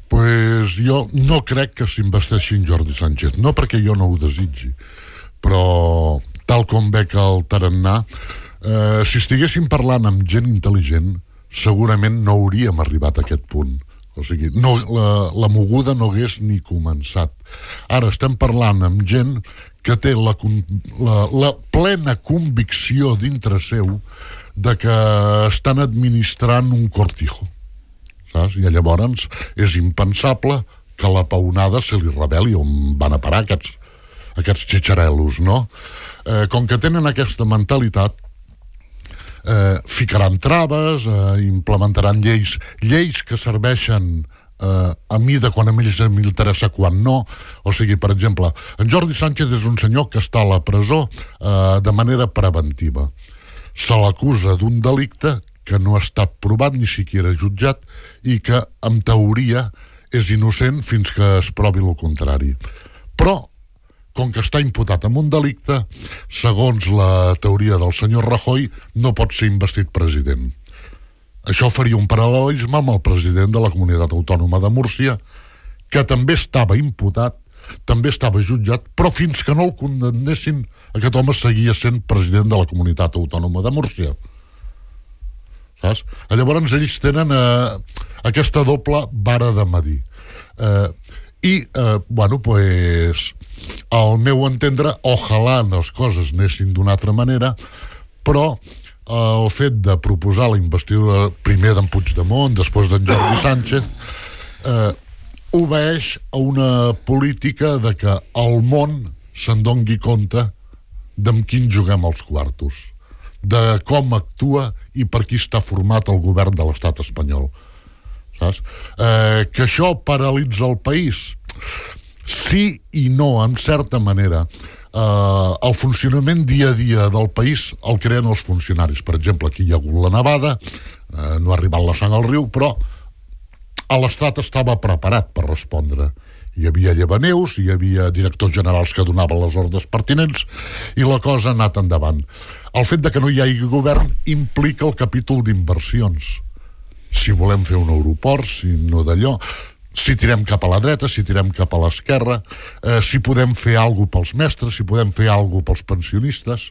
Pues jo no crec que s'investeixi en Jordi Sánchez, no perquè jo no ho desitgi, però tal com veig el tarannà, si estiguéssim parlant amb gent intel·ligent, segurament no hauríem arribat a aquest punt. O sigui, no, la moguda no hagués ni començat. Ara estem parlant amb gent que té la plena convicció dintre seu de que estan administrant un cortijo, saps? I llavors és impensable que la peonada se li reveli on van a parar aquests xitxarelos, no? Com que tenen aquesta mentalitat, ficaran traves, implementaran lleis que serveixen a mi de quan a ells m'interessa, quan no. O sigui, per exemple, en Jordi Sánchez és un senyor que està a la presó de manera preventiva. Se l'acusa d'un delicte que no ha estat provat ni siquiera jutjat i que, en teoria, és innocent fins que es provi el contrari. Però, com que està imputat amb un delicte, segons la teoria del senyor Rajoy, no pot ser investit president. Això faria un paral·lelisme amb el president de la Comunitat Autònoma de Múrcia, que també estava imputat, també estava jutjat, però fins que no el condemnessin, aquest home seguia sent president de la Comunitat Autònoma de Múrcia. Saps? Llavors ells tenen aquesta doble vara de medir. Bueno, pues, al meu entendre, ojalà les coses anessin d'una altra manera, però el fet de proposar la investidura primer d'en Puigdemont, després d'en Jordi Sánchez, obeeix a una política de que el món se'n doni compte d'amb quin juguem els quartos, de com actua i per qui està format el govern de l'estat espanyol. Saps? Que això paralitza el país? Sí i no, en certa manera. El funcionament dia a dia del país el creen els funcionaris. Per exemple, aquí hi ha hagut la nevada, no ha arribat la sang al riu, però l'Estat estava preparat per respondre. Hi havia llevaneus, hi havia directors generals que donaven les ordres pertinents i la cosa ha anat endavant. El fet de que no hi hagi govern implica el capítol d'inversions. Si volem fer un aeroport, si no d'allò, si tirem cap a la dreta, si tirem cap a l'esquerra, si podem fer alguna cosa pels mestres, si podem fer alguna cosa pels pensionistes,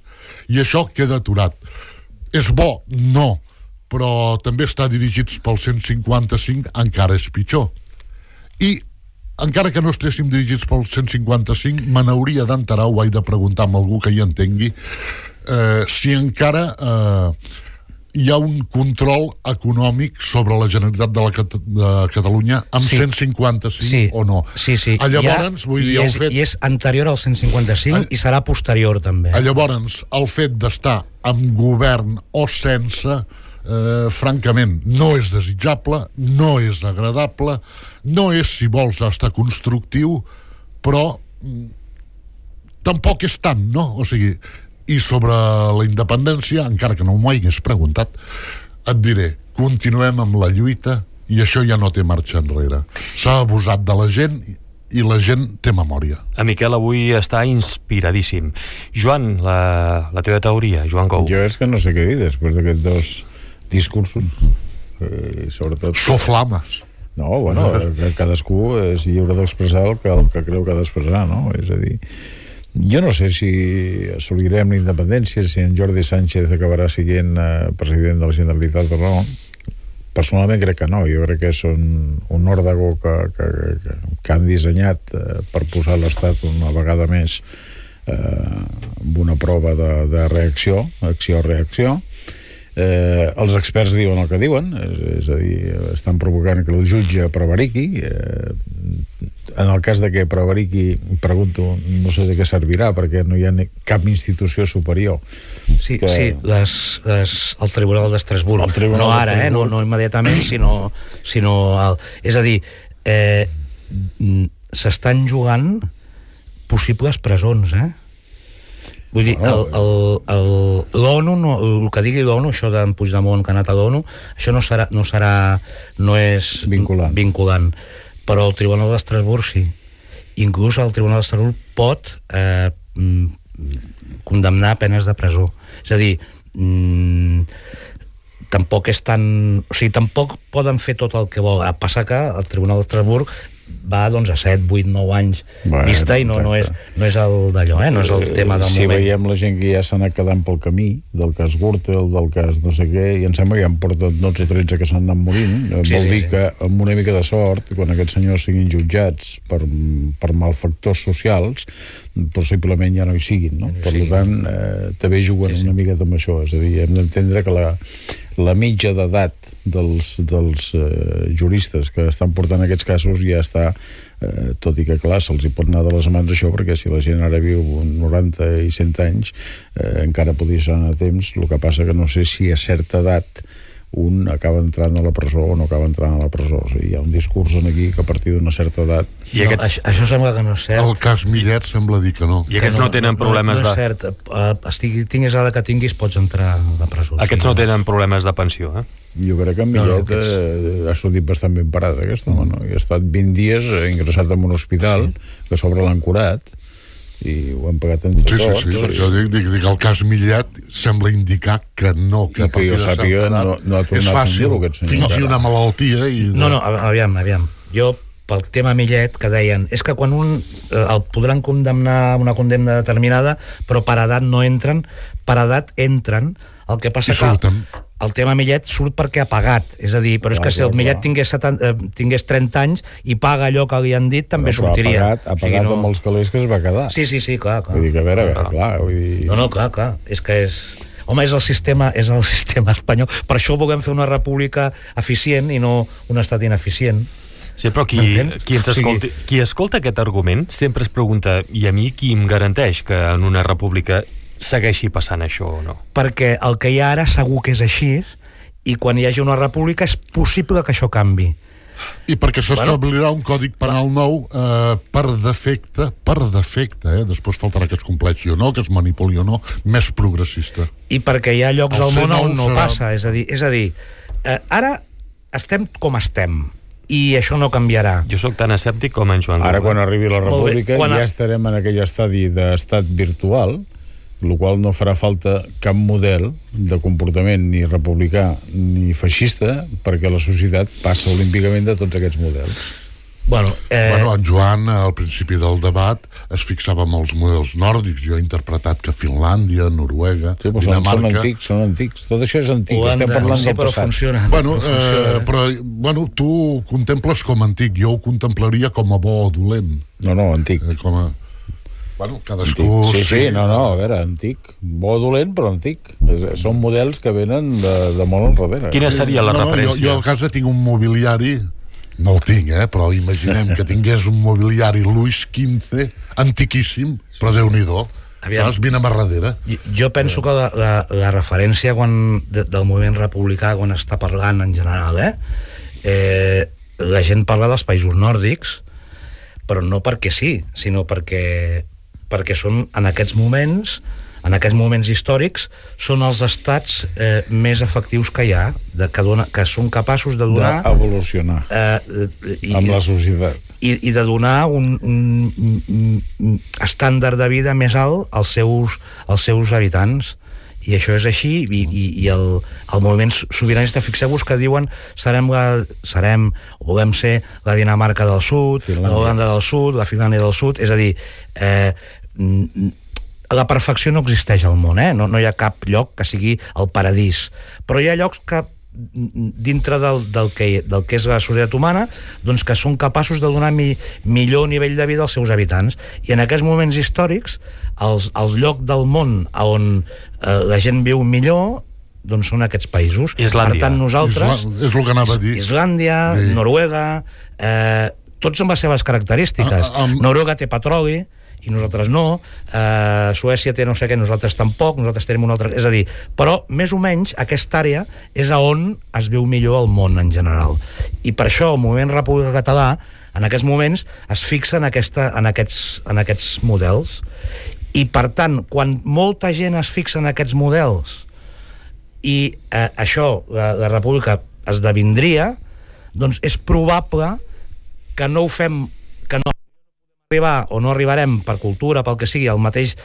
i això queda aturat. És bo? No, però també està dirigits pel 155, encara és pitjor. I encara que no estéssim dirigits pel 155, me n'hauria d'enterar, ho he de preguntar a algú que hi entengui, si encara hi ha un control econòmic sobre la Generalitat de Catalunya amb 155 o no. Sí. Llavors, vull dir, I és anterior al 155 i serà posterior també. Llavors, el fet d'estar amb govern o sense, francament, no és desitjable, no és agradable, no és, si vols, estar constructiu, però tampoc és tant, no? O sigui, i sobre la independència, encara que no m'ho hagués preguntat, et diré, continuem amb la lluita i això ja no té marxa enrere. S'ha abusat de la gent i la gent té memòria. A Miquel avui està inspiradíssim. Joan, la teva teoria, Joan Gou. Jo és que no sé què dir després d'aquests dos discursos. Sobretot... Soflames. No, bueno, cadascú és lliure d'expressar el que creu que ha d'expressar, no? És a dir, jo no sé si assolirem la independència, si en Jordi Sánchez acabarà sent president de la Generalitat o no. Personalment crec que no. Jo crec que és un òrdago que han dissenyat per posar l'Estat una vegada més amb una prova de reacció, acció-reacció. Els experts diuen el que diuen, és a dir, estan provocant que el jutge prevariqui. En el cas de que prevariqui, pregunto, no sé de què servirà, perquè no hi ha cap institució superior. Sí, el Tribunal d'Estrasburg. No ara, no immediatament, sinó és a dir, s'estan jugant possibles presons, Vull dir, l'ONU, el que digui l'ONU, això d'en Puigdemont que ha anat a l'ONU, això no és vinculant. Però el Tribunal d'Estrasburg sí. Inclús el Tribunal d'Estrasburg pot condemnar penes de presó. És a dir, tampoc és tan... O sigui, tampoc poden fer tot el que vol. Passa que el Tribunal d'Estrasburg va doncs, a 7, 8, 9 anys vista i no és el d'allò, no és el tema del moment. Si veiem la gent que ja s'ha anat quedant pel camí, del cas Gürtel, del cas no sé què, i em sembla que ja en porten 12 o 13 que s'han anat morint, vol dir que amb una mica de sort, quan aquests senyors siguin jutjats per malfactors socials, possiblement ja no hi siguin, no? Per tant, també juguen una miqueta amb això, és a dir, hem d'entendre que la mitja d'edat dels juristes que estan portant aquests casos ja està, tot i que clar, se'ls hi pot anar de les mans això, perquè si la gent ara viu 90 i 100 anys encara podria ser a temps. El que passa que no sé si a certa edat un acaba entrant a la presó o no acaba entrant a la presó. O sigui, hi ha un discurs aquí que a partir d'una certa edat... Això sembla que no és cert. El cas Millet sembla dir que no. I aquests no tenen problemes de... No és cert. Tinguis l'edat que tinguis, pots entrar a la presó. Aquests no tenen problemes de pensió, Jo crec que en Millet ha sortit bastant ben parat, aquest home, no? I ha estat 20 dies ingressat en un hospital, que a sobre l'han curat, i ho han pagat entre tots. Sí, jo dic que el cas Millet sembla indicar que no, que a partir de certa edat no ha tornat és fàcil fingir una malaltia i... No, aviam. Jo, pel tema Millet, que deien, és que quan el podran condemnar una condemna determinada, però per edat no entren, per edat entren, el que passa que el tema Millet surt perquè ha pagat, és a dir, però és que si el Millet tingués 30 anys i paga allò que li han dit, també sortiria. Ha pagat amb els calés que es va quedar. Sí, clar. Vull dir que, a veure, clar, vull dir... No, clar, és que és... Home, és el sistema espanyol. Per això volem fer una república eficient i no un estat ineficient. Sí, però qui escolta aquest argument sempre es pregunta, i a mi qui em garanteix que en una república segueixi passant això o no? Perquè el que hi ha ara segur que és així, i quan hi hagi una república és possible que això canvi. I perquè s'establirà un còdig penal nou per defecte, després faltarà que es compleixi o no, que es manipuli o no, més progressista. I perquè hi ha llocs al món on no passa, és a dir, ara estem com estem, i això no canviarà. Jo sóc tan escèptic com en Joan. Ara, quan arribi la república, ja estarem en aquell estadi d'estat virtual, el qual no farà falta cap model de comportament ni republicà ni feixista, perquè la societat passa olímpicament de tots aquests models. En Joan, al principi del debat, es fixava en els models nòrdics. Jo he interpretat que Finlàndia, Noruega, Dinamarca... Són antics. Tot això és antic. Estem parlant del passat. Però tu contemples com antic. Jo ho contemplaria com a bo o dolent. No, antic. Cadascú... Sí, a veure, antic. Bo o dolent, però antic. Són models que venen de molt enrere. Quina seria la referència? Jo a casa tinc un mobiliari... No el tinc, però imaginem que tingués un mobiliari Louis XV, antiquíssim, però Déu-n'hi-do. Saps? Vine a darrere. Jo penso que la referència del moviment republicà, quan està parlant en general, la gent parla dels països nòrdics, però no perquè sí, sinó perquè són en aquests moments històrics, són els estats més efectius que hi ha, que són capaços de donar... D'evolucionar amb la societat. I de donar un estàndard de vida més alt als seus habitants. i això és així, i el moviment sobiranista, fixeu-vos que diuen volem ser la Dinamarca del Sud, la Holanda del Sud, la Finlàndia del Sud, és a dir, la perfecció no existeix al món, no hi ha cap lloc que sigui el paradís, però hi ha llocs que dintre del que és la societat humana, doncs que són capaços de donar millor nivell de vida als seus habitants, i en aquests moments històrics els llocs del món on la gent viu millor doncs són aquests països. Islàndia. Per tant, nosaltres... És el que anava a dir. Islàndia, Noruega, tots amb les seves característiques. Noruega té petroli i nosaltres no, Suècia té no sé què, nosaltres tampoc, nosaltres tenim una altra... És a dir, però més o menys aquesta àrea és on es viu millor el món en general. I per això el moviment República Català en aquests moments es fixa en aquests models. I per tant, quan molta gent es fixa en aquests models i això, la República esdevindria, doncs és probable que no ho fem, que no arribar o no arribarem per cultura, pel que sigui, al mateix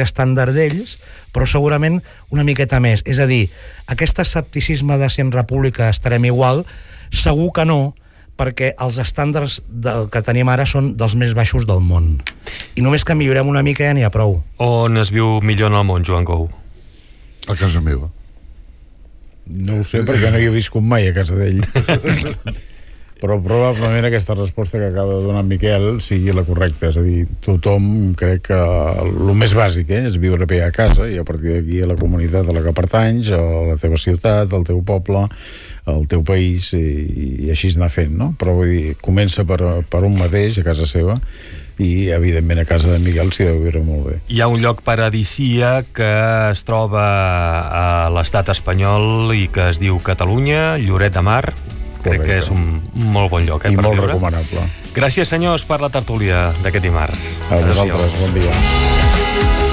estàndard d'ells, però segurament una miqueta més. És a dir, aquest escepticisme de si en república estarem igual, segur que no, perquè els estàndards que tenim ara són dels més baixos del món. I només que millorem una mica ja n'hi ha prou. On es viu millor en el món, Joan Gou? A casa meva. No ho sé, perquè no hi he viscut mai a casa d'ell. Però probablement aquesta resposta que acaba de donar Miquel sigui la correcta, és a dir, tothom crec que el més bàsic és viure bé a casa i a partir d'aquí a la comunitat a la que pertanys, a la teva ciutat, al teu poble, al teu país, i així anar fent, no? Però vull dir, comença per un mateix a casa seva i evidentment a casa de Miquel s'hi deu viure molt bé. Hi ha un lloc paradisíac que es troba a l'estat espanyol i que es diu Catalunya, Lloret de Mar. Crec que és un molt bon lloc, i per molt viure. Recomanable. Gràcies, senyors, per la tertúlia d'aquest dimarts. A vosaltres, bon dia.